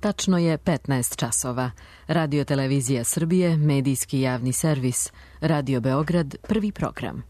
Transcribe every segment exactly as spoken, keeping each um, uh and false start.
Tačno je petnaest časova. Radio Televizija Srbije, medijski javni servis. Radio Beograd, prvi program.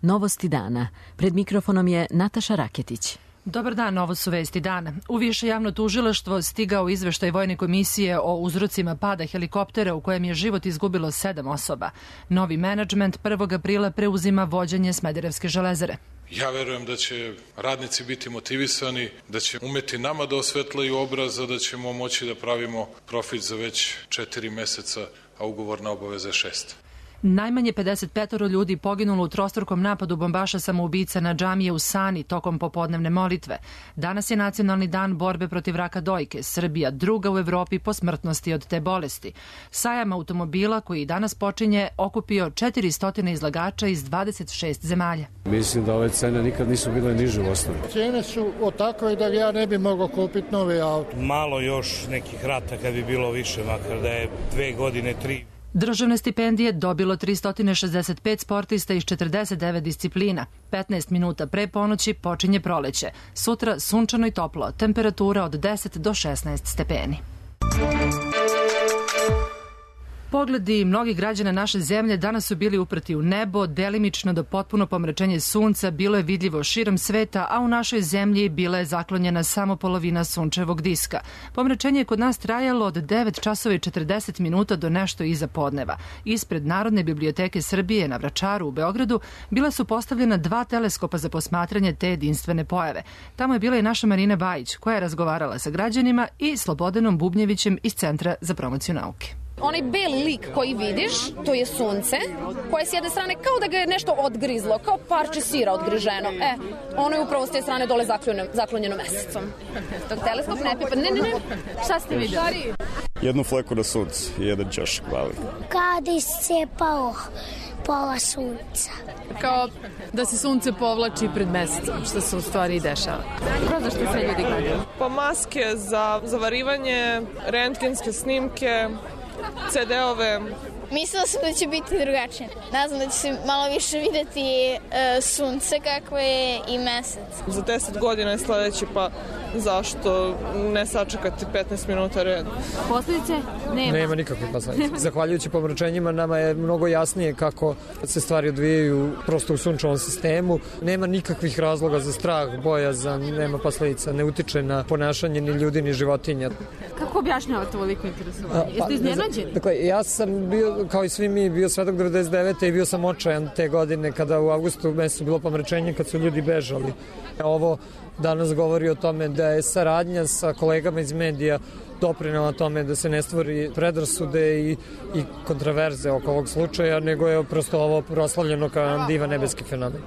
Novosti dana. Pred mikrofonom je Nataša Raketić. Dobar dan, ovo su vesti dana. U Više javno tužilaštvo stigao izveštaj Vojne komisije o uzrocima pada helikoptera u kojem je život izgubilo sedam osoba. Novi menadžment prvog aprila preuzima vođenje Smederevske železare. Ja verujem da će radnici biti motivisani, da će umeti nama da osvetlaju obraz, da ćemo moći da pravimo profit za već četiri meseca, a ugovorna obaveza je šest. Najmanje pedeset pet ljudi poginulo u trostrukom napadu bombaša samoubica na džamije u Sani tokom popodnevne molitve. Danas je nacionalni dan borbe protiv raka dojke. Srbija druga u Evropi po smrtnosti od te bolesti. Sajam automobila koji danas počinje okupio četiristo izlagača iz dvadeset šest zemalja. Mislim da ove cene nikad nisu bile niže u osnovi. Cene su od takve da ja ne bi mogao kupiti novi auto. Malo još nekih rata kad bi bilo više, makar da je dve godine, tri. Državne stipendije dobilo tristo šezdeset pet sportista iz četrdeset devet disciplina. petnaest minuta pre ponoći počinje proleće. Sutra sunčano i toplo, temperatura od deset do šesnaest stepeni. Pogledi mnogih građana naše zemlje danas su bili uprti u nebo, delimično do potpuno pomračenje sunca bilo je vidljivo širom sveta, a u našoj zemlji bila je zaklonjena samo polovina sunčevog diska. Pomračenje je kod nas trajalo od devet časova i četrdeset minuta do nešto iza podneva. Ispred Narodne biblioteke Srbije na Vračaru u Beogradu bila su postavljena dva teleskopa za posmatranje te jedinstvene pojave. Tamo je bila i naša Marina Bajić, koja je razgovarala sa građanima i Slobodanom Bubnjevićem iz Centra za promociju nauke. Onaj beli lik koji vidiš, to je sunce, koje s jedne strane kao da ga je nešto odgrizlo, kao parče sira odgriženo. E, ono je upravo s te strane dole zaklonjeno, zaklonjeno mesecom. Dok teleskop ne pipa, ne, ne, ne, šta ste vidjeli? Jednu fleku na suncu i jedan ćošak mali. Kao da iscepao pola sunca. Kao da se sunce povlači pred mesecom, što se u stvari i dešava. Ko zašto sve ljudi gledaju? Pa maske za zavarivanje, rentgenske snimke, ce de ove. Mislila sam da će biti drugačije. Nadam da će se malo više videti e, sunce kako je i mesec. Za deset godina je sledeći, pa zašto ne sačekati petnaest minuta red? Posljedice? Nema. Nema nikakve posljedice. Zahvaljujući pomračenjima nama je mnogo jasnije kako se stvari odvijaju prosto u sunčevom sistemu. Nema nikakvih razloga za strah, bojazan, nema posljedica, ne utiče na ponašanje ni ljudi ni životinja. Kako objašnjavate ovoliko interesovanje? Jeste iznenađeni? Dakle, ja sam bio, kao i svi mi, bio svedok devedeset devete i bio sam očajan te godine kada u avgustu mesecu bilo pomračenje kad su ljudi bežali. Ovo danas govori o tome da je saradnja sa kolegama iz medija doprinela tome da se ne stvori predrasude i, i kontraverze oko ovog slučaja, nego je prosto ovo proslavljeno kao divan nebeski fenomen.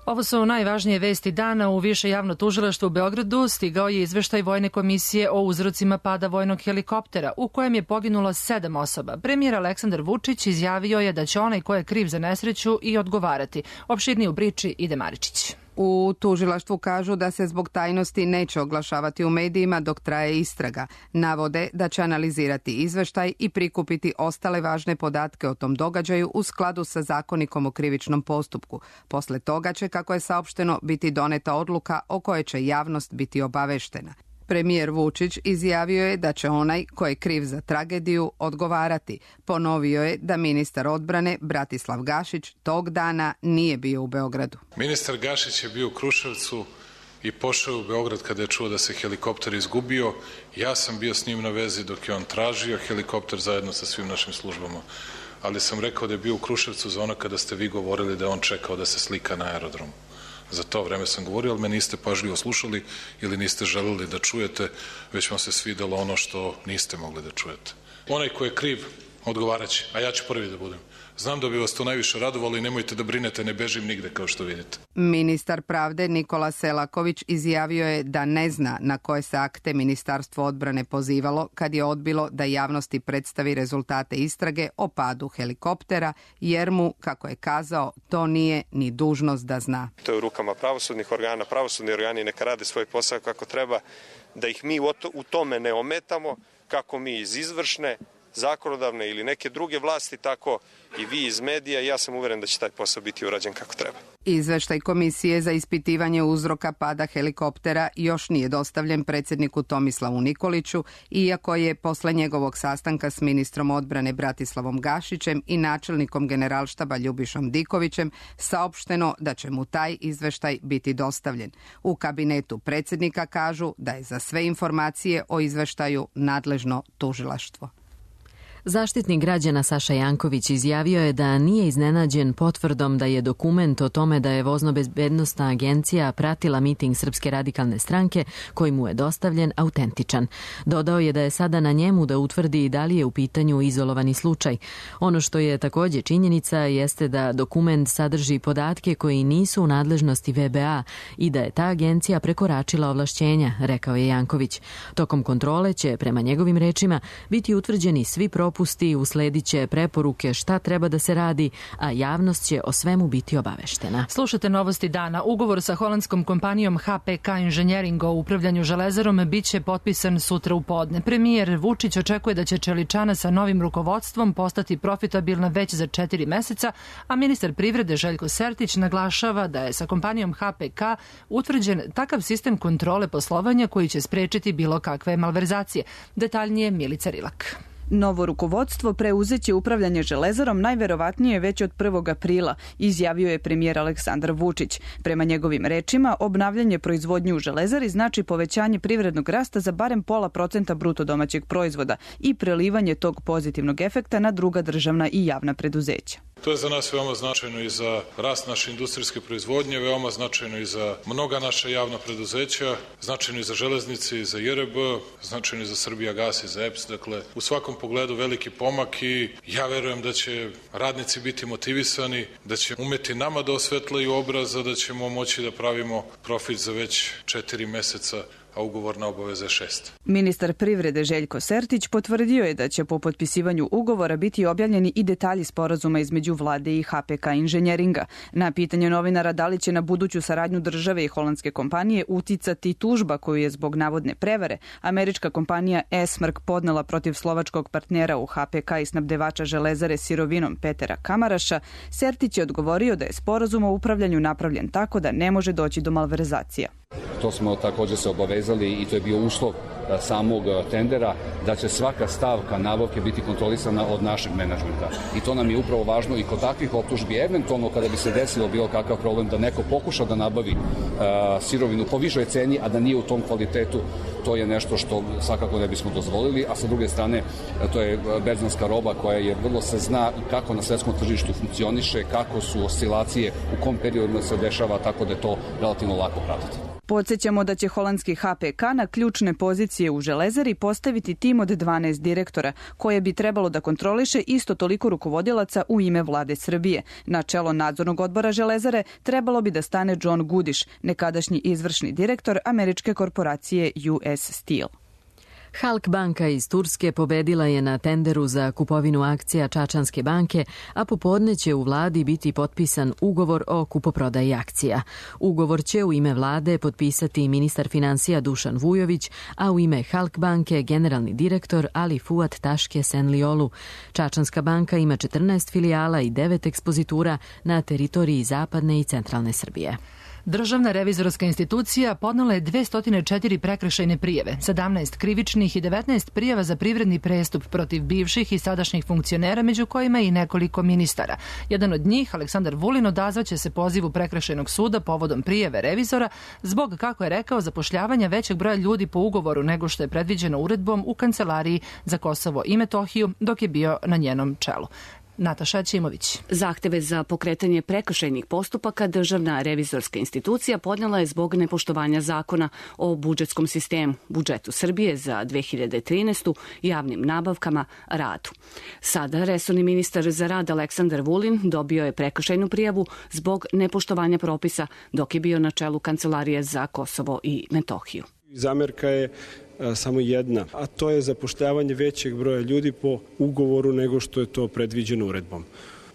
Ovo su najvažnije vesti dana. U Više javno tužilaštvo u Beogradu stigao je izveštaj Vojne komisije o uzrocima pada vojnog helikoptera u kojem je poginulo sedam osoba. Premijer Aleksandar Vučić izjavio je da će onaj ko je kriv za nesreću i odgovarati. Opširnije u priči Ide Maričić. U tužilaštvu kažu da se zbog tajnosti neće oglašavati u medijima dok traje istraga. Navode da će analizirati izveštaj i prikupiti ostale važne podatke o tom događaju u skladu sa zakonikom o krivičnom postupku. Posle toga će, kako je saopšteno, biti doneta odluka o kojoj će javnost biti obaveštena. Premijer Vučić izjavio je da će onaj ko je kriv za tragediju odgovarati. Ponovio je da ministar odbrane Bratislav Gašić tog dana nije bio u Beogradu. Ministar Gašić je bio u Kruševcu i pošao u Beograd kada je čuo da se helikopter izgubio. Ja sam bio s njim na vezi dok je on tražio helikopter zajedno sa svim našim službama. Ali sam rekao da je bio u Kruševcu za ono kada ste vi govorili da je on čekao da se slika na aerodromu. Za to vreme sam govorio, ali me niste pažljivo slušali ili niste želeli da čujete, već vam se svidelo ono što niste mogli da čujete. Onaj ko je kriv, odgovaraće, a ja ću prvi da budem. Znam da bi vas to najviše radovalo i nemojte da brinete, ne bežim nigde kao što vidite. Ministar pravde Nikola Selaković izjavio je da ne zna na koje se akte Ministarstvo odbrane pozivalo kad je odbilo da javnosti predstavi rezultate istrage o padu helikoptera, jer mu, kako je kazao, to nije ni dužnost da zna. To je u rukama pravosudnih organa, pravosudni organi neka rade svoj posao kako treba, da ih mi u tome ne ometamo, kako mi iz izvršne, zakonodavne ili neke druge vlasti, tako i vi iz medija. Ja sam uveren da će taj posao biti urađen kako treba. Izveštaj Komisije za ispitivanje uzroka pada helikoptera još nije dostavljen predsjedniku Tomislavu Nikoliću, iako je posle njegovog sastanka s ministrom odbrane Bratislavom Gašićem i načelnikom Generalštaba Ljubišom Dikovićem saopšteno da će mu taj izveštaj biti dostavljen. U kabinetu predsjednika kažu da je za sve informacije o izveštaju nadležno tužilaštvo. Zaštitnik građana Saša Janković izjavio je da nije iznenađen potvrdom da je dokument o tome da je Vozno-bezbednosna agencija pratila miting Srpske radikalne stranke koji mu je dostavljen autentičan. Dodao je da je sada na njemu da utvrdi da li je u pitanju izolovani slučaj. Ono što je također činjenica jeste da dokument sadrži podatke koji nisu u nadležnosti V B A i da je ta agencija prekoračila ovlašćenja, rekao je Janković. Tokom kontrole će, prema njegovim rečima, biti utvrđeni svi propusti, usledit će preporuke šta treba da se radi, a javnost će o svemu biti obaveštena. Slušate novosti dana. Ugovor sa holandskom kompanijom H P K Inženjering o upravljanju železarom biće potpisan sutra u podne. Premijer Vučić očekuje da će čeličana sa novim rukovodstvom postati profitabilna već za četiri meseca, a ministar privrede Željko Sertić naglašava da je sa kompanijom H P K utvrđen takav sistem kontrole poslovanja koji će sprečiti bilo kakve malverzacije. Detaljnije Milica Rilak. Novo rukovodstvo preuzeće upravljanje železarom najverovatnije već od prvog aprila, izjavio je premijer Aleksandar Vučić. Prema njegovim rečima, obnavljanje proizvodnje u železari znači povećanje privrednog rasta za barem pola procenta bruto domaćeg proizvoda i prelivanje tog pozitivnog efekta na druga državna i javna preduzeća. To je za nas veoma značajno i za rast naše industrijske proizvodnje, veoma značajno i za mnoga naša javna preduzeća, značajno i za železnice i za J R B, značajno i za Srbijagas i za E P S. Dakle, u svakom pogledu veliki pomak i ja verujem da će radnici biti motivisani, da će umeti nama da osvetlaju obraza, da ćemo moći da pravimo profit za već četiri meseca, a ugovorna obaveza je šest. Ministar privrede Željko Sertić potvrdio je da će po potpisivanju ugovora biti objavljeni i detalji sporazuma između vlade i H P K Inženjeringa. Na pitanje novinara da li će na buduću saradnju države i holandske kompanije uticati tužba koju je zbog navodne prevare američka kompanija Esmark podnela protiv slovačkog partnera u H P K i snabdevača železare sirovinom Petera Kamaraša, Sertić je odgovorio da je sporazum o upravljanju napravljen tako da ne može doći do malverzacija. To smo također se obavezali i to je bio uslov samog tendera, da će svaka stavka nabavke biti kontrolisana od našeg menadžmenta. I to nam je upravo važno i kod takvih optužbi, eventualno kada bi se desilo bilo kakav problem da neko pokuša da nabavi uh, sirovinu po višoj ceni, a da nije u tom kvalitetu, to je nešto što svakako ne bismo dozvolili, a sa druge strane to je berzanska roba koja je vrlo se zna kako na svetskom tržištu funkcioniše, kako su oscilacije, u kom periodu se dešava, tako da je to relativno lako pratiti. Podsjećamo da će holandski H P K na ključne pozicije u železari postaviti tim od dvanaest direktora, koje bi trebalo da kontroliše isto toliko rukovodilaca u ime vlade Srbije. Na čelo nadzornog odbora železare trebalo bi da stane John Goodish, nekadašnji izvršni direktor američke korporacije U S Steel. Halk banka iz Turske pobedila je na tenderu za kupovinu akcija Čačanske banke, a popodne će u vladi biti potpisan ugovor o kupoprodaji akcija. Ugovor će u ime vlade potpisati ministar finansija Dušan Vujović, a u ime Halk banke generalni direktor Ali Fuat Taške Senliolu. Čačanska banka ima četrnaest filijala i devet ekspozitura na teritoriji zapadne i centralne Srbije. Državna revizorska institucija podnela je dvesta četiri prekršajne prijave, sedamnaest krivičnih i devetnaest prijava za privredni prestup protiv bivših i sadašnjih funkcionera, među kojima i nekoliko ministara. Jedan od njih, Aleksandar Vulin, odazvaće se pozivu prekršajnog suda povodom prijave revizora zbog, kako je rekao, zapošljavanja većeg broja ljudi po ugovoru nego što je predviđeno uredbom u Kancelariji za Kosovo i Metohiju dok je bio na njenom čelu. Nataša Ćimović. Zahteve za pokretanje prekršajnih postupaka Državna revizorska institucija podnela je zbog nepoštovanja zakona o budžetskom sistemu, budžetu Srbije za dve hiljade trinaestu, javnim nabavkama, radu. Sada resorni ministar za rad Aleksandar Vulin dobio je prekršajnu prijavu zbog nepoštovanja propisa dok je bio na čelu Kancelarije za Kosovo i Metohiju. Zamerka je samo jedna, a to je zapošljavanje većeg broja ljudi po ugovoru nego što je to predviđeno uredbom.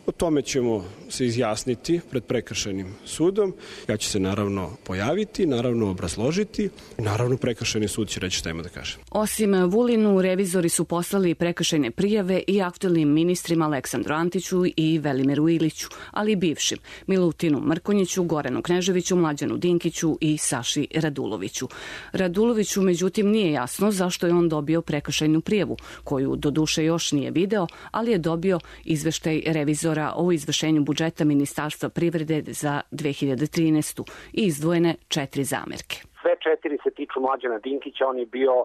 O tome ćemo se izjasniti pred prekršajnim sudom. Ja ću se naravno pojaviti, naravno obrazložiti i naravno prekršajni sud će reći šta ima da kaže. Osim Vulinu, revizori su poslali prekršajne prijave i aktuelnim ministrima Aleksandru Antiću i Velimiru Iliću, ali i bivšim Milutinu Mrkonjiću, Goranu Kneževiću, Mlađanu Dinkiću i Saši Raduloviću. Raduloviću, međutim, nije jasno zašto je on dobio prekršajnu prijavu, koju doduše još nije video, ali je dobio izveštaj revizora o izvršenju budžeta Ministarstva privrede za dve hiljade trinaestu i izdvojene četiri zamerke. Sve četiri se tiču Mlađana Dinkića, on je bio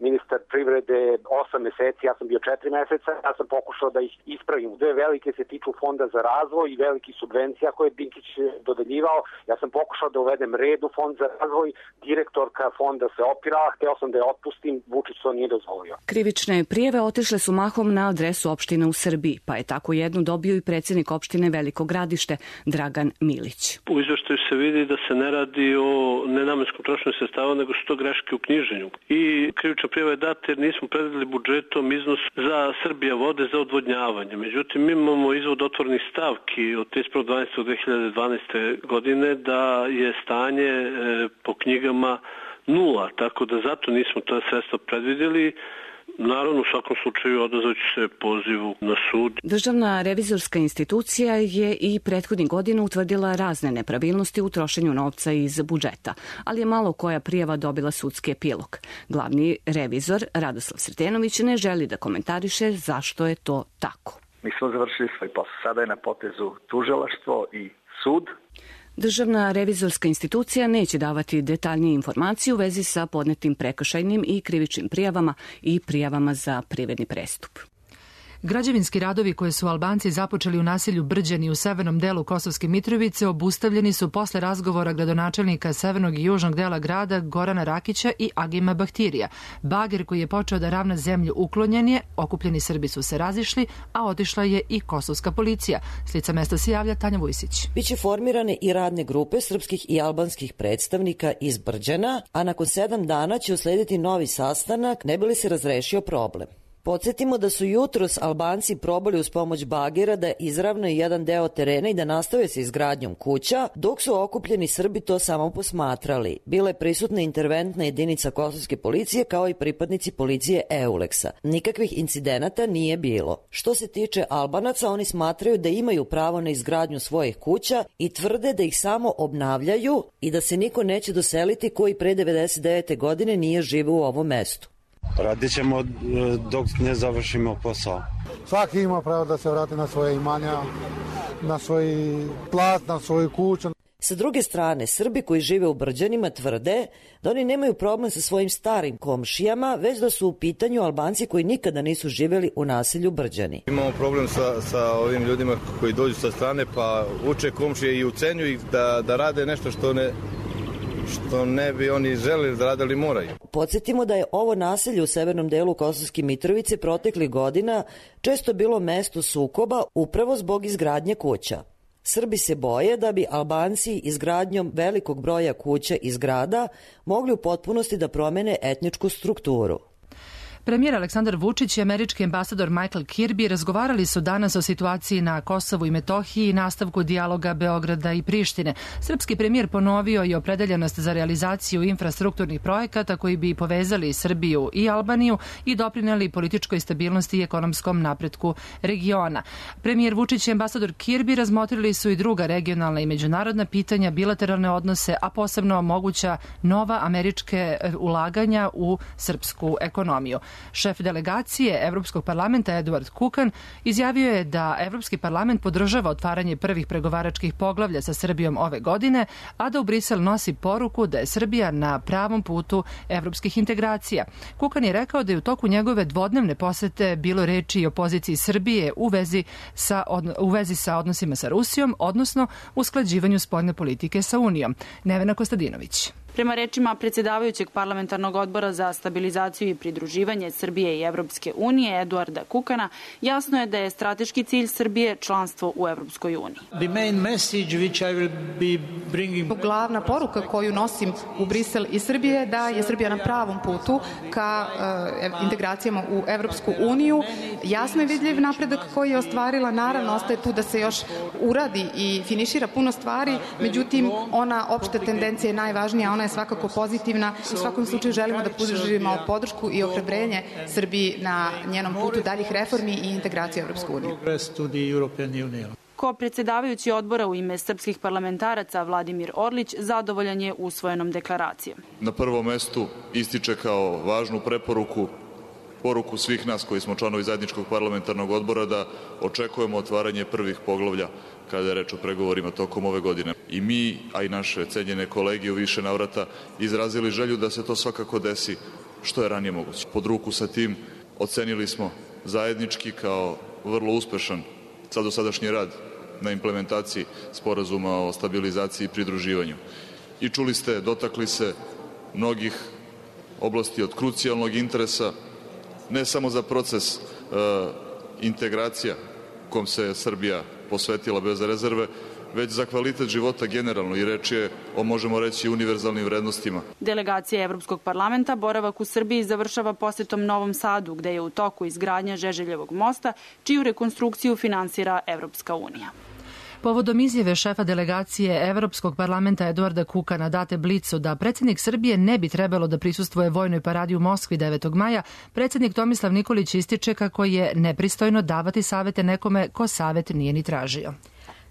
ministar privrede osam meseci, ja sam bio četiri meseca, ja sam pokušao da ih ispravim. Dve velike se tiču Fonda za razvoj i veliki subvencija koje je Dinkić dodeljivao. Ja sam pokušao da uvedem red u Fond za razvoj, direktorka fonda se opirala, hteo sam da je otpustim, Vučić to nije dozvolio. Krivične prijave otišle su mahom na adresu opština u Srbiji, pa je tako jednu dobio i predsjednik opštine Veliko Gradište, Dragan Milić. U izveštaju se vidi da se ne radi o nenamenskom trošenju sredstava, nego su to greške u knjiženju. I krivična prijava je data jer nismo predvideli budžetom iznos za Srbija vode za odvodnjavanje. Međutim, mi imamo izvod otvornih stavki od trideset prvog decembra dve hiljade dvanaeste. godine da je stanje po knjigama nula, tako da zato nismo ta sredstva predvideli. Naravno, u svakom slučaju odazvaću se pozivu na sud. Državna revizorska institucija je i prethodnih godina utvrdila razne nepravilnosti u trošenju novca iz budžeta, ali je malo koja prijava dobila sudski epilog. Glavni revizor Radoslav Sretenović ne želi da komentariše zašto je to tako. Mi smo završili svoj posao. Sada je na potezu tužilaštvo i sud. Državna revizorska institucija neće davati detaljnije informacije u vezi sa podnetim prekršajnim i krivičnim prijavama i prijavama za privredni prestup. Građevinski radovi koje su Albanci započeli u naselju Brđani u severnom delu Kosovske Mitrovice obustavljeni su posle razgovora gradonačelnika severnog i južnog dela grada Gorana Rakića i Agima Bahtirija. Bager koji je počeo da ravna zemlju uklonjen je, okupljeni Srbi su se razišli, a otišla je i kosovska policija. S lica mesta se javlja Tanja Vujsić. Biće formirane i radne grupe srpskih i albanskih predstavnika iz Brđana, a nakon sedam dana će uslediti novi sastanak ne bi li se razrešio problem. Podsjetimo da su jutros Albanci probali uz pomoć bagera da izravnaju jedan deo terena i da nastave sa izgradnjom kuća, dok su okupljeni Srbi to samo posmatrali. Bila je prisutna interventna jedinica kosovske policije kao i pripadnici policije Euleksa. Nikakvih incidenata nije bilo. Što se tiče Albanaca, oni smatraju da imaju pravo na izgradnju svojih kuća i tvrde da ih samo obnavljaju i da se niko neće doseliti koji pre devedeset devete. godine nije živeo u ovom mestu. Radit ćemo dok ne završimo posao. Svaki ima pravo da se vrati na svoje imanja, na svoj plat, na svoju kuću. Sa druge strane, Srbi koji žive u Brđanima tvrde da oni nemaju problem sa svojim starim komšijama, već da su u pitanju Albanci koji nikada nisu živjeli u naselju Brđani. Imamo problem sa, sa ovim ljudima koji dođu sa strane pa uče komšije i ucenjuju ih da, da rade nešto što ne... što ne bi oni želeli da rade, ali moraju. Podsjetimo da je ovo naselje u severnom delu Kosovske Mitrovice proteklih godina često bilo mesto sukoba upravo zbog izgradnje kuća. Srbi se boje da bi Albanci izgradnjom velikog broja kuća i zgrada mogli u potpunosti da promene etničku strukturu. Premijer Aleksandar Vučić i američki ambasador Michael Kirby razgovarali su danas o situaciji na Kosovu i Metohiji i nastavku dijaloga Beograda i Prištine. Srpski premijer ponovio i opredeljenost za realizaciju infrastrukturnih projekata koji bi povezali Srbiju i Albaniju i doprineli političkoj stabilnosti i ekonomskom napretku regiona. Premijer Vučić i ambasador Kirby razmotrili su i druga regionalna i međunarodna pitanja, bilateralne odnose, a posebno moguća nova američke ulaganja u srpsku ekonomiju. Šef delegacije Evropskog parlamenta Eduard Kukan izjavio je da Evropski parlament podržava otvaranje prvih pregovaračkih poglavlja sa Srbijom ove godine, a da u Brisel nosi poruku da je Srbija na pravom putu evropskih integracija. Kukan je rekao da je u toku njegove dvodnevne posete bilo reči i o poziciji Srbije u vezi sa, u vezi sa odnosima sa Rusijom, odnosno usklađivanju spoljne politike sa Unijom. Nevena Kostadinović. Prema rečima predsjedavajućeg parlamentarnog odbora za stabilizaciju i pridruživanje Srbije i Evropske unije Eduarda Kukana, jasno je da je strateški cilj Srbije članstvo u Evropskoj uniji. Glavna poruka koju nosim u Brisel i Srbije je da je Srbija na pravom putu ka uh, integracijama u Evropsku uniju. Jasno je vidljiv napredak koji je ostvarila. Naravno, ostaje tu da se još uradi i finišira puno stvari, međutim, ona opšta tendencija je najvažnija, ona je svakako pozitivna. U svakom slučaju želimo da pružimo podršku i ohrabrenje Srbiji na njenom putu daljih reformi i integracije u Evropsku uniju. Ko predsjedavajući odbora u ime srpskih parlamentaraca Vladimir Orlić zadovoljan je usvojenom deklaracijom. Na prvom mestu ističe kao važnu preporuku poruku svih nas koji smo članovi zajedničkog parlamentarnog odbora da očekujemo otvaranje prvih poglavlja kada je reč o pregovorima tokom ove godine. I mi, a i naše cenjene kolege u više navrata izrazili želju da se to svakako desi što je ranije moguće. Pod ruku sa tim ocenili smo zajednički kao vrlo uspešan sad dosadašnji rad na implementaciji sporazuma o stabilizaciji i pridruživanju. I čuli ste, dotakli se mnogih oblasti od krucijalnog interesa, ne samo za proces e, integracija kom se Srbija posvetila bez rezerve, već za kvalitet života generalno i reč je o, možemo reći, univerzalnim vrednostima. Delegacija Evropskog parlamenta boravak u Srbiji završava posetom Novom Sadu, gde je u toku izgradnja Žeželjevog mosta, čiju rekonstrukciju finansira Evropska unija. Povodom izjave šefa delegacije Evropskog parlamenta Eduarda Kukana date Blicu da predsjednik Srbije ne bi trebalo da prisustvuje vojnoj paradi u Moskvi devetog maja, predsjednik Tomislav Nikolić ističe kako je nepristojno davati savete nekome ko savet nije ni tražio.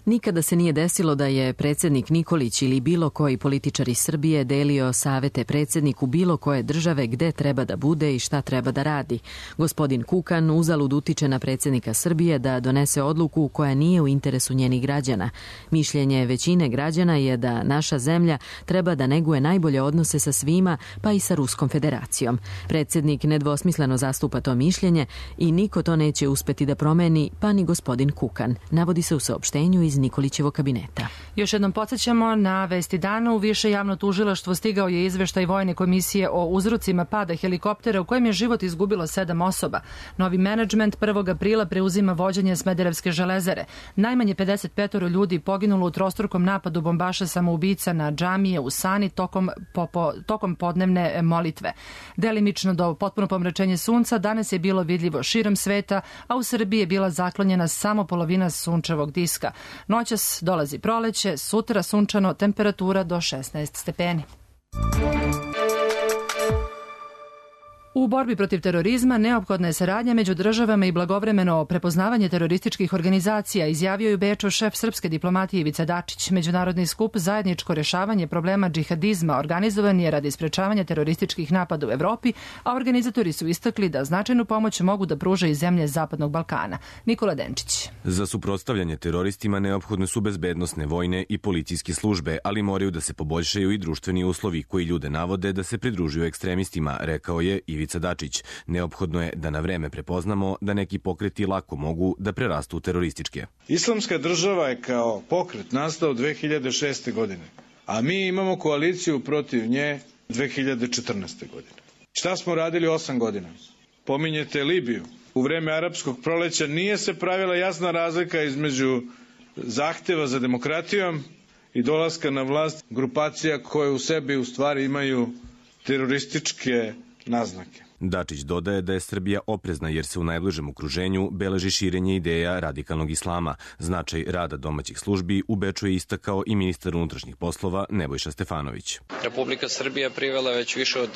Nikada se nije desilo da je predsjednik Nikolić ili bilo koji političar iz Srbije delio savete predsjedniku bilo koje države gde treba da bude i šta treba da radi. Gospodin Kukan uzalud utiče na predsjednika Srbije da donese odluku koja nije u interesu njenih građana. Mišljenje većine građana je da naša zemlja treba da neguje najbolje odnose sa svima, pa i sa Ruskom federacijom. Predsjednik nedvosmisleno zastupa to mišljenje i niko to neće uspeti da promeni, pa ni gospodin Kukan, navodi se u saopštenju iz Nikolićevog kabineta. Još jednom podsjećamo na vesti dana. U više javno tužilaštvo stigao je izveštaj Vojne komisije o uzrocima pada helikoptera u kojem je život izgubilo sedam osoba. Novi menadžment prvog aprila preuzima vođenje Smederevske železare. Najmanje pedeset pet ljudi poginulo u trostrukom napadu bombaša samoubica na džamije u Sani tokom, po, po, tokom podnevne molitve. Delimično do potpuno pomračenje sunca danas je bilo vidljivo širom sveta, a u Srbiji je bila zaklonjena samo polovina sunčevog diska. Noćas dolazi proleće, sutra sunčano, temperatura do šesnaest stepeni. U borbi protiv terorizma neophodna je saradnja među državama i blagovremeno prepoznavanje terorističkih organizacija, izjavio je u Beču šef srpske diplomatije Ivica Dačić. Međunarodni skup zajedničko rješavanje problema džihadizma organizovan je radi sprečavanja terorističkih napada u Evropi, a organizatori su istakli da značajnu pomoć mogu da pruže i zemlje Zapadnog Balkana. Nikola Denčić. Za suprotstavljanje teroristima neophodne su bezbednosne, vojne i policijske službe, ali moraju da se poboljšaju i društveni uslovi koji ljude navode da se pridružuju ekstremistima, rekao je Ivica Dačić. Neophodno je da na vreme prepoznamo da neki pokreti lako mogu da prerastu u terorističke. Islamska država je kao pokret nastao dve hiljade šeste. godine, a mi imamo koaliciju protiv nje dve hiljade četrnaeste. godine. Šta smo radili osam godina? Pominjete Libiju. U vreme arapskog proleća nije se pravila jasna razlika između zahteva za demokratijom i dolaska na vlast grupacija koje u sebi u stvari imaju terorističke naznake. Dačić dodaje da je Srbija oprezna jer se u najbližem okruženju beleži širenje ideja radikalnog islama. Značaj rada domaćih službi u Beču je istakao i ministar unutrašnjih poslova Nebojša Stefanović. Republika Srbija privela već više od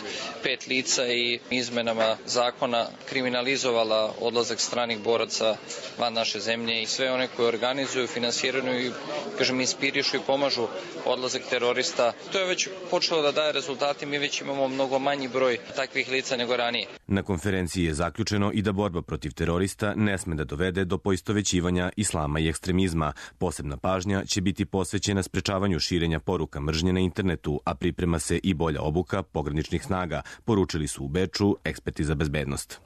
pet lica i izmenama zakona kriminalizovala odlazak stranih boraca van naše zemlje i sve one koje organizuju, finansiraju i, kažem, inspirišu i pomažu odlazak terorista. To je već počelo da daje rezultati, mi već imamo mnogo manji broj takvih lica nego ranije. Na konferenciji je zaključeno i da borba protiv terorista ne sme da dovede do poistovećivanja islama i ekstremizma. Posebna pažnja će biti posvećena sprečavanju širenja poruka mržnje na internetu, a priprema se i bolja obuka pograničnih snaga, poručili su u Beču eksperti za bezbednost.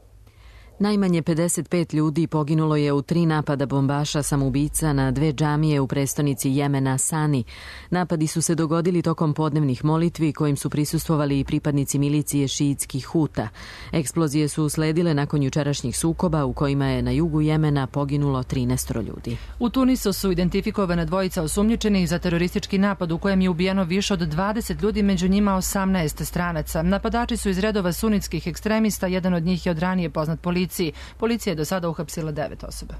Najmanje pedeset pet ljudi poginulo je u tri napada bombaša samoubica na dve džamije u prestonici Jemena Sani. Napadi su se dogodili tokom podnevnih molitvi kojim su prisustvovali i pripadnici milicije šiitskih Huta. Eksplozije su usledile nakon jučerašnjih sukoba u kojima je na jugu Jemena poginulo trinaest ljudi. U Tunisu su identifikovane dvojica osumnjičenih za teroristički napad u kojem je ubijeno više od dvadeset ljudi, među njima osamnaest stranaca. Napadači su iz redova sunitskih ekstremista, jedan od njih je od ranije poznat policiji. Policija je do sada uhapsila devet osoba.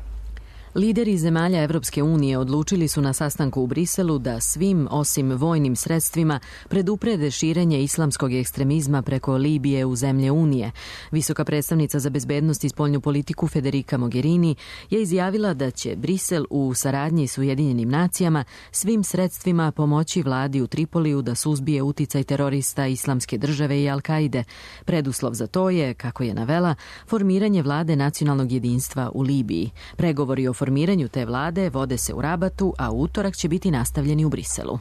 Lideri zemalja Evropske unije odlučili su na sastanku u Briselu da svim, osim vojnim sredstvima, preduprede širenje islamskog ekstremizma preko Libije u zemlje Unije. Visoka predstavnica za bezbednost i spoljnu politiku Federica Mogherini je izjavila da će Brisel u saradnji s Ujedinjenim nacijama svim sredstvima pomoći vladi u Tripoliju da suzbije uticaj terorista Islamske države i Al-Kaide. Preduslov za to je, kako je navela, formiranje vlade nacionalnog jedinstva u Libiji. Pregovori o formiranju te vlade vode se u Rabatu, a u utorak će biti nastavljeni u Briselu.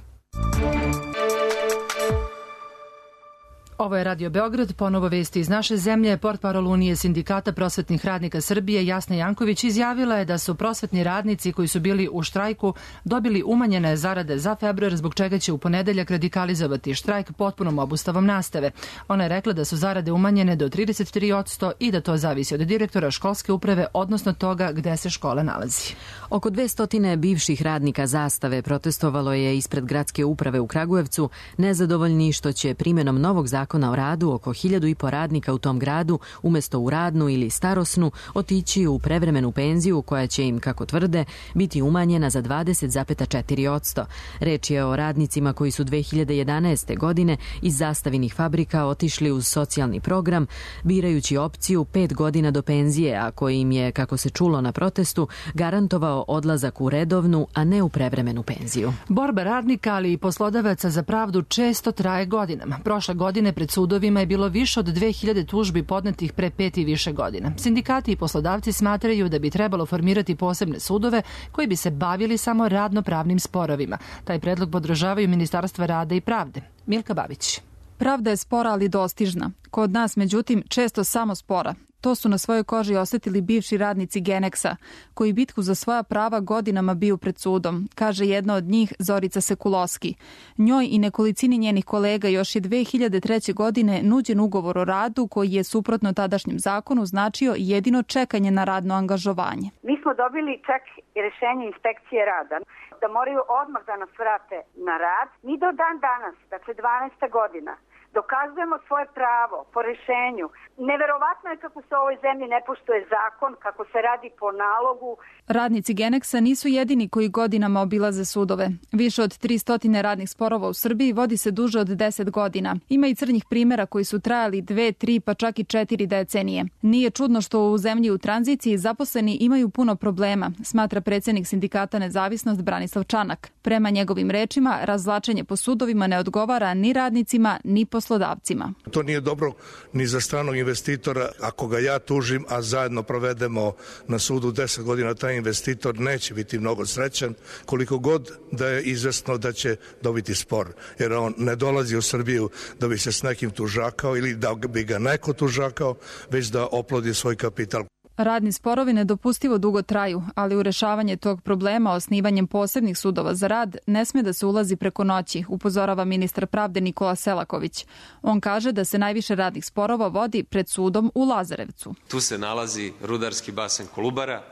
Ovo je Radio Beograd, ponovo vesti iz naše zemlje. Portparol Unije sindikata prosvetnih radnika Srbije Jasna Janković izjavila je da su prosvetni radnici koji su bili u štrajku dobili umanjene zarade za februar, zbog čega će u ponedeljak radikalizovati štrajk potpunom obustavom nastave. Ona je rekla da su zarade umanjene do trideset tri posto i da to zavisi od direktora školske uprave, odnosno toga gde se škola nalazi. Oko dvesta bivših radnika Zastave protestovalo je ispred gradske uprave u Kragujevcu, nezadovoljni što će primjenom novog zakona Zakona o radu oko hiljadu i po radnika u tom gradu umesto u radnu ili starosnu otići u prevremenu penziju koja će im, kako tvrde, biti umanjena za dvadeset zarez četiri posto. Reč je o radnicima koji su dve hiljade jedanaeste. godine iz Zastavinih fabrika otišli uz socijalni program, birajući opciju pet godina do penzije, a koji im je, kako se čulo na protestu, garantovao odlazak u redovnu, a ne u prevremenu penziju. Borba radnika, ali i poslodavaca za pravdu često traje godinama. Prošle godine pred sudovima je bilo više od dve hiljade tužbi podnetih pre pet i više godina. Sindikati i poslodavci smatraju da bi trebalo formirati posebne sudove koji bi se bavili samo radno-pravnim sporovima. Taj predlog podržavaju Ministarstva rada i pravde. Milka Babić. Pravda je spora, ali dostižna. Kod nas, međutim, često samo spora. To su na svojoj koži osetili bivši radnici Geneksa, koji bitku za svoja prava godinama biju pred sudom, kaže jedna od njih Zorica Sekuloski. Njoj i nekolicini njenih kolega još je dve hiljade treće. godine nuđen ugovor o radu koji je suprotno tadašnjem zakonu značio jedino čekanje na radno angažovanje. Mi smo dobili čak i rešenje inspekcije rada da moraju odmah da nas vrate na rad. Mi do dan danas, dakle dvanaesta godina, dokazujemo svoje pravo po rešenju. Neverovatno je kako se u ovoj zemlji ne poštuje zakon, kako se radi po nalogu. Radnici Geneksa nisu jedini koji godinama obilaze sudove. Više od tristo radnih sporova u Srbiji vodi se duže od deset godina. Ima i crnih primjera koji su trajali dve, tri pa čak i četiri decenije. Nije čudno što u zemlji u tranziciji zaposleni imaju puno problema, smatra predsjednik sindikata Nezavisnost Branislav Čanak. Prema njegovim rečima, razvlačenje po sudovima ne odgovara ni radnicima, ni poslodavcima. To nije dobro ni za stranog investitora. Ako ga ja tužim, a zajedno provedemo na sudu deset godina, taj investitor neće biti mnogo srećan, koliko god da je izvesno da će dobiti spor. Jer on ne dolazi u Srbiju da bi se s nekim tužakao ili da bi ga neko tužakao, već da oplodi svoj kapital. Radni sporovi nedopustivo dugo traju, ali u rešavanje tog problema osnivanjem posebnih sudova za rad ne sme da se ulazi preko noći, upozorava ministar pravde Nikola Selaković. On kaže da se najviše radnih sporova vodi pred sudom u Lazarevcu. Tu se nalazi rudarski basen Kolubara,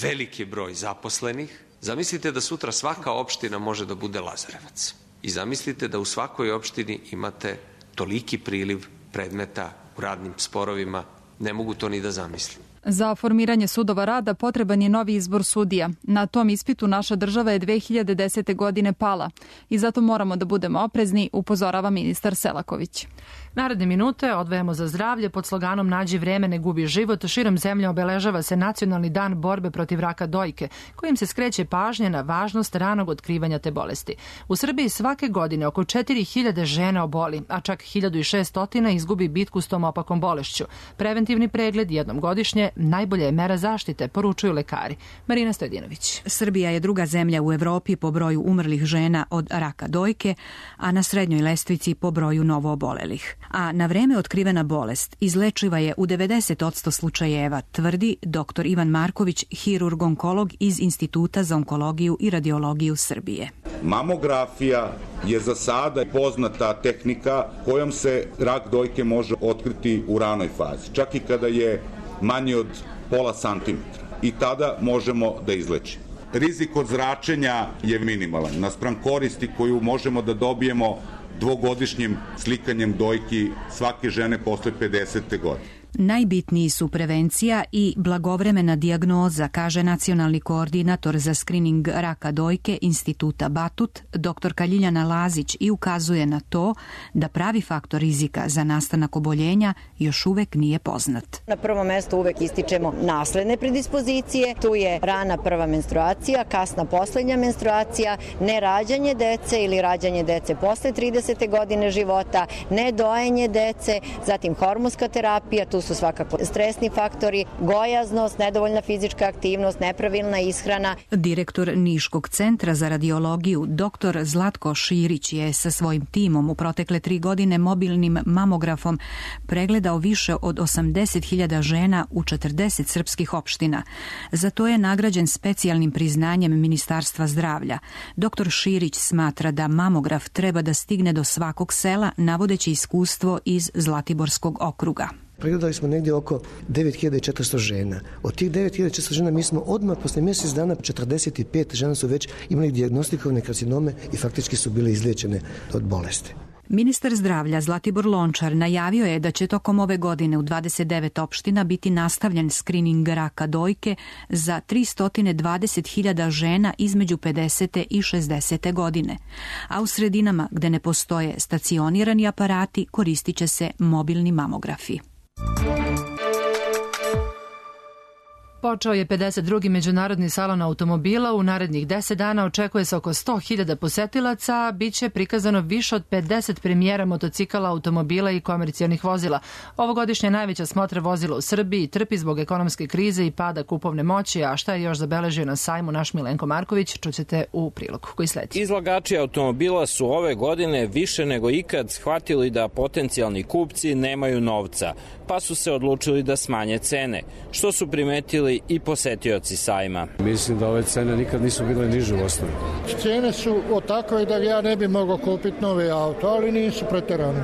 veliki broj zaposlenih. Zamislite da sutra svaka opština može da bude Lazarevac. I zamislite da u svakoj opštini imate toliki priliv predmeta u radnim sporovima. Ne mogu to ni da zamislim. Za formiranje sudova rada potreban je novi izbor sudija. Na tom ispitu naša država je dve hiljade desete. godine pala i zato moramo da budemo oprezni, upozorava ministar Selaković. Naredne minute odvajamo za zdravlje pod sloganom Nađi vreme, ne gubi život. Širom zemlje obeležava se Nacionalni dan borbe protiv raka dojke, kojim se skreće pažnja na važnost ranog otkrivanja te bolesti. U Srbiji svake godine oko četiri hiljade žena oboli, a čak hiljadu šeststo izgubi bitku s tom opakom bolešću. Preventivni pregled jednom godišnje najbolja je mera zaštite, poručuju lekari. Marina Stojedinović. Srbija je druga zemlja u Evropi po broju umrlih žena od raka dojke, a na srednjoj lestvici po broju novoobolelih. A na vreme otkrivena bolest izlečiva je u devedeset posto slučajeva, tvrdi doktor Ivan Marković, hirurg-onkolog iz Instituta za onkologiju i radiologiju Srbije. Mamografija je za sada poznata tehnika kojom se rak dojke može otkriti u ranoj fazi, čak i kada je manji od pola santimetra. I tada možemo da izlečimo. Rizik od zračenja je minimalan, naspram koristi koju možemo da dobijemo dvogodišnjim slikanjem dojki svake žene posle pedesete godine. Najbitniji su prevencija i blagovremena dijagnoza, kaže nacionalni koordinator za skrining raka dojke Instituta Batut, doktorka Ljiljana Lazić, i ukazuje na to da pravi faktor rizika za nastanak oboljenja još uvek nije poznat. Na prvom mestu uvek ističemo nasledne predispozicije, tu je rana prva menstruacija, kasna poslednja menstruacija, nerađanje dece ili rađanje dece posle tridesete godine života, nedojenje dece, zatim hormonska terapija, tu su svakako stresni faktori, gojaznost, nedovoljna fizička aktivnost, nepravilna ishrana. Direktor Niškog centra za radiologiju, doktor Zlatko Širić, je sa svojim timom u protekle tri godine mobilnim mamografom pregledao više od osamdeset hiljada žena u četrdeset srpskih opština. Za to je nagrađen specijalnim priznanjem Ministarstva zdravlja. Doktor Širić smatra da mamograf treba da stigne do svakog sela, navodeći iskustvo iz Zlatiborskog okruga. Pregledali smo negdje oko devet hiljada četiristo žena. Od tih devet hiljada četiristo žena mi smo odmah posle mjesec dana četrdeset pet žena su već imali dijagnostikovane karcinome i faktički su bile izliječene od bolesti. Ministar zdravlja Zlatibor Lončar najavio je da će tokom ove godine u dvadeset devet opština biti nastavljen skrining raka dojke za tristo dvadeset hiljada žena između pedesete i šezdesete godine. A u sredinama gde ne postoje stacionirani aparati koristit će se mobilni mamografi. Počeo je pedeset drugi međunarodni salon automobila. U narednih deset dana očekuje se oko sto hiljada posetilaca. Biće prikazano više od pedeset premijera motocikala, automobila i komercijalnih vozila. Ovogodišnja najveća smotra vozila u Srbiji trpi zbog ekonomske krize i pada kupovne moći, a šta je još zabeležio na sajmu naš Milenko Marković, čućete u prilogu koji sledi. Izlagači automobila su ove godine više nego ikad shvatili da potencijalni kupci nemaju novca, pa su se odlučili da smanje cene, što su primetili i posetioci sajma. Mislim da ove cene nikad nisu bile niže u osnovi. Cene su od takve da ja ne bi mogao kupiti novi auto, ali nisu preterane.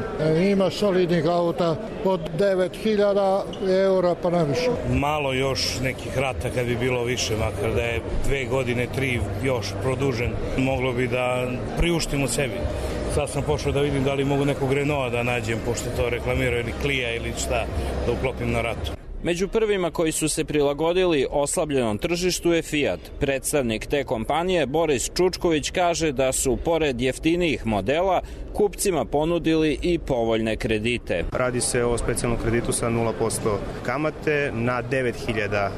Ima solidnih auta od devet hiljada eura pa naviše. Malo još nekih rata kad bi bilo više, makar da je dve godine, tri još produžen, moglo bi da priuštimo sebi. Sad sam pošao da vidim da li mogu nekog Renaulta da nađem, pošto to reklamiraju, ili Clio ili šta, da uklopim na ratu. Među prvima koji su se prilagodili oslabljenom tržištu je Fiat. Predstavnik te kompanije Boris Čučković kaže da su pored jeftinijih modela kupcima ponudili i povoljne kredite. Radi se o specijalnom kreditu sa nula posto kamate na devet hiljada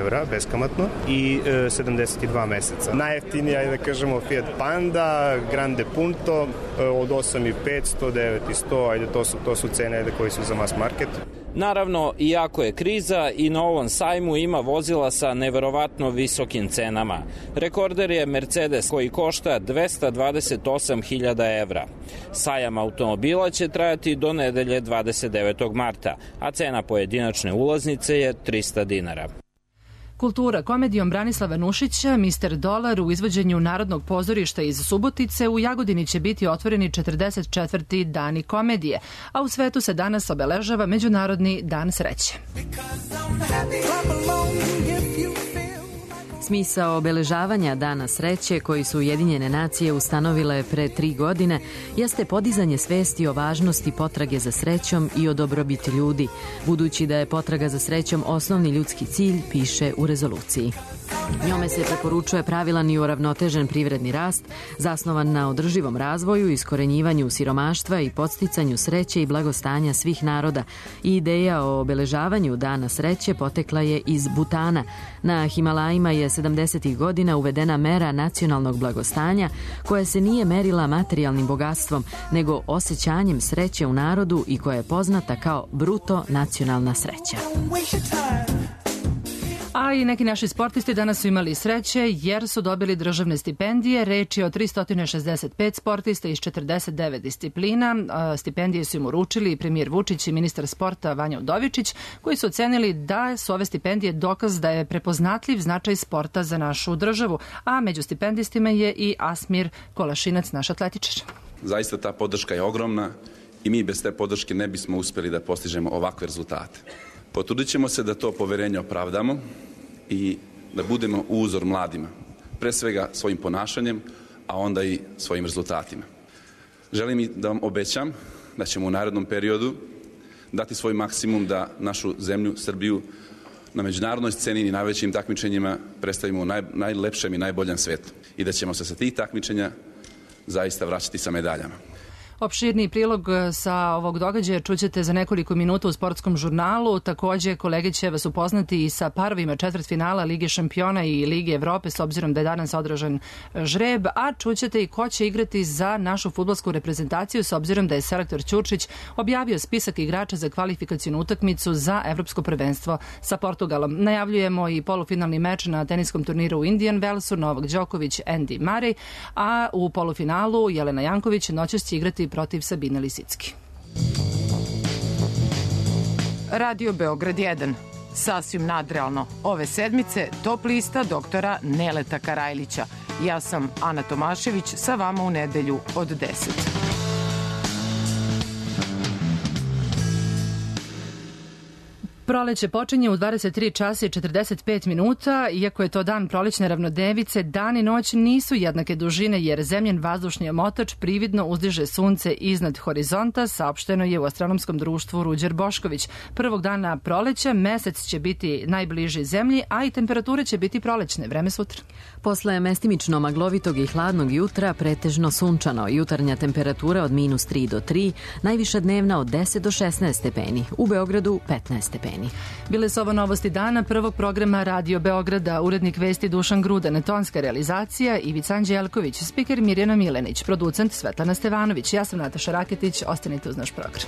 evra beskamatno i sedamdeset dva meseca. Najjeftinija je, da kažemo, Fiat Panda, Grande Punto od osam hiljada petsto, devet hiljada sto, ajde to su, to su cene ajde, koji su za mass market. Naravno, iako je kriza, i na ovom sajmu ima vozila sa neverovatno visokim cenama. Rekorder je Mercedes koji košta dvesta dvadeset osam hiljada evra. Sajam automobila će trajati do nedelje dvadeset devetog marta, a cena pojedinačne ulaznice je trista dinara. Kultura komedijom Branislava Nušića, mister Dolar u izvođenju Narodnog pozorišta iz Subotice, u Jagodini će biti otvoreni četrdeset četvrti dani komedije, a u svetu se danas obeležava Međunarodni dan sreće. Smisao obeležavanja Dana sreće, koji su Ujedinjene nacije ustanovile pre tri godine, jeste podizanje svesti o važnosti potrage za srećom i o dobrobiti ljudi, budući da je potraga za srećom osnovni ljudski cilj, piše u rezoluciji. Njome se preporučuje pravilan i uravnotežen privredni rast, zasnovan na održivom razvoju, iskorenjivanju siromaštva i podsticanju sreće i blagostanja svih naroda. I ideja o obeležavanju Dana sreće potekla je iz Butana. Na Himalajima je sedamdesetih godina uvedena mera nacionalnog blagostanja, koja se nije merila materijalnim bogatstvom, nego osjećanjem sreće u narodu i koja je poznata kao bruto nacionalna sreća. A i neki naši sportisti danas su imali sreće jer su dobili državne stipendije. Reč je o tristo šezdeset pet sportista iz četrdeset devet disciplina. Stipendije su im uručili i premijer Vučić i ministar sporta Vanja Udovičić, koji su ocenili da su ove stipendije dokaz da je prepoznatljiv značaj sporta za našu državu. A među stipendistima je i Asmir Kolašinac, naš atletičar. Zaista ta podrška je ogromna i mi bez te podrške ne bismo uspjeli da postižemo ovakve rezultate. Potrudit ćemo se da to poverenje opravdamo i da budemo uzor mladima, pre svega svojim ponašanjem, a onda i svojim rezultatima. Želim i da vam obećam da ćemo u narednom periodu dati svoj maksimum da našu zemlju, Srbiju, na međunarodnoj sceni i najvećim takmičenjima predstavimo u naj, najlepšem i najboljem svetu i da ćemo se sa tih takmičenja zaista vraćati sa medaljama. Opširni prilog sa ovog događaja čućete za nekoliko minuta u sportskom žurnalu. Takođe, kolege će vas upoznati i sa parovima četvrtfinala Lige šampiona i Lige Evrope, s obzirom da je danas održan žreb, a čućete i ko će igrati za našu fudbalsku reprezentaciju, s obzirom da je selektor Ćurčić objavio spisak igrača za kvalifikacionu utakmicu za evropsko prvenstvo sa Portugalom. Najavljujemo i polufinalni meč na teniskom turniru u Indian Wellsu, Novak Đoković, Andy Murray, a u polufinalu Jelena Janković noćas će igrati protiv Sabine Lisicki. Radio Beograd jedan. Sasvim nadrealno. Ove sedmice top lista doktora Neleta Karajlića. Ja sam Ana Tomašević, sa vama u nedelju od deset. Proleće počinje u dvadeset tri časa i četrdeset pet minuta. Iako je to dan prolećne ravnodevice, dan i noć nisu jednake dužine jer zemljen vazdušni omotač prividno uzdiže sunce iznad horizonta, saopšteno je u astronomskom društvu Ruđer Bošković. Prvog dana proleća mesec će biti najbliži zemlji, a i temperature će biti prolećne. Vreme sutra. Posle mestimično maglovitog i hladnog jutra pretežno sunčano. Jutarnja temperatura od minus tri do tri, najviša dnevna od deset do šesnaest stepeni. U Beogradu petnaest stepeni. Bile su ovo novosti dana prvog programa Radio Beograda, urednik vesti Dušan Grudan, tonska realizacija Ivica Anđelković, spiker Mirjana Milenić, producent Svetlana Stevanović. Ja sam Nataša Raketić, ostanite uz naš program.